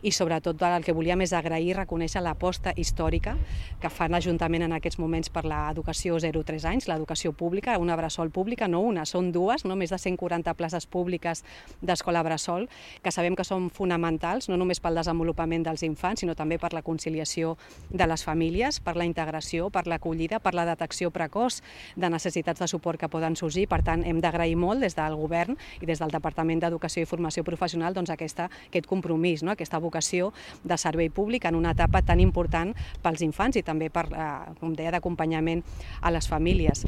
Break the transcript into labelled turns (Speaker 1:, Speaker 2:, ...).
Speaker 1: i sobretot el que volíem és agrair i reconèixer l'aposta històrica que fa l'Ajuntament en aquests moments per l'educació 0-3 anys, l'educació pública, una bressol pública, no una, són dues, no? Més de 140 places públiques d'escola bressol, que sabem que són fonamentals, no només pel desenvolupament dels infants, sinó també per la conciliació de les famílies, per la integració, per l'acollida, per la detecció precoç de necessitats de suport que poden sorgir. Per tant, hem d'agrair molt des del Govern i des del Departament d'Educació i Formació Professional aquest compromís, aquesta vocació de servei públic en una etapa tan important pels infants i també per, com deia, d'acompanyament a les famílies.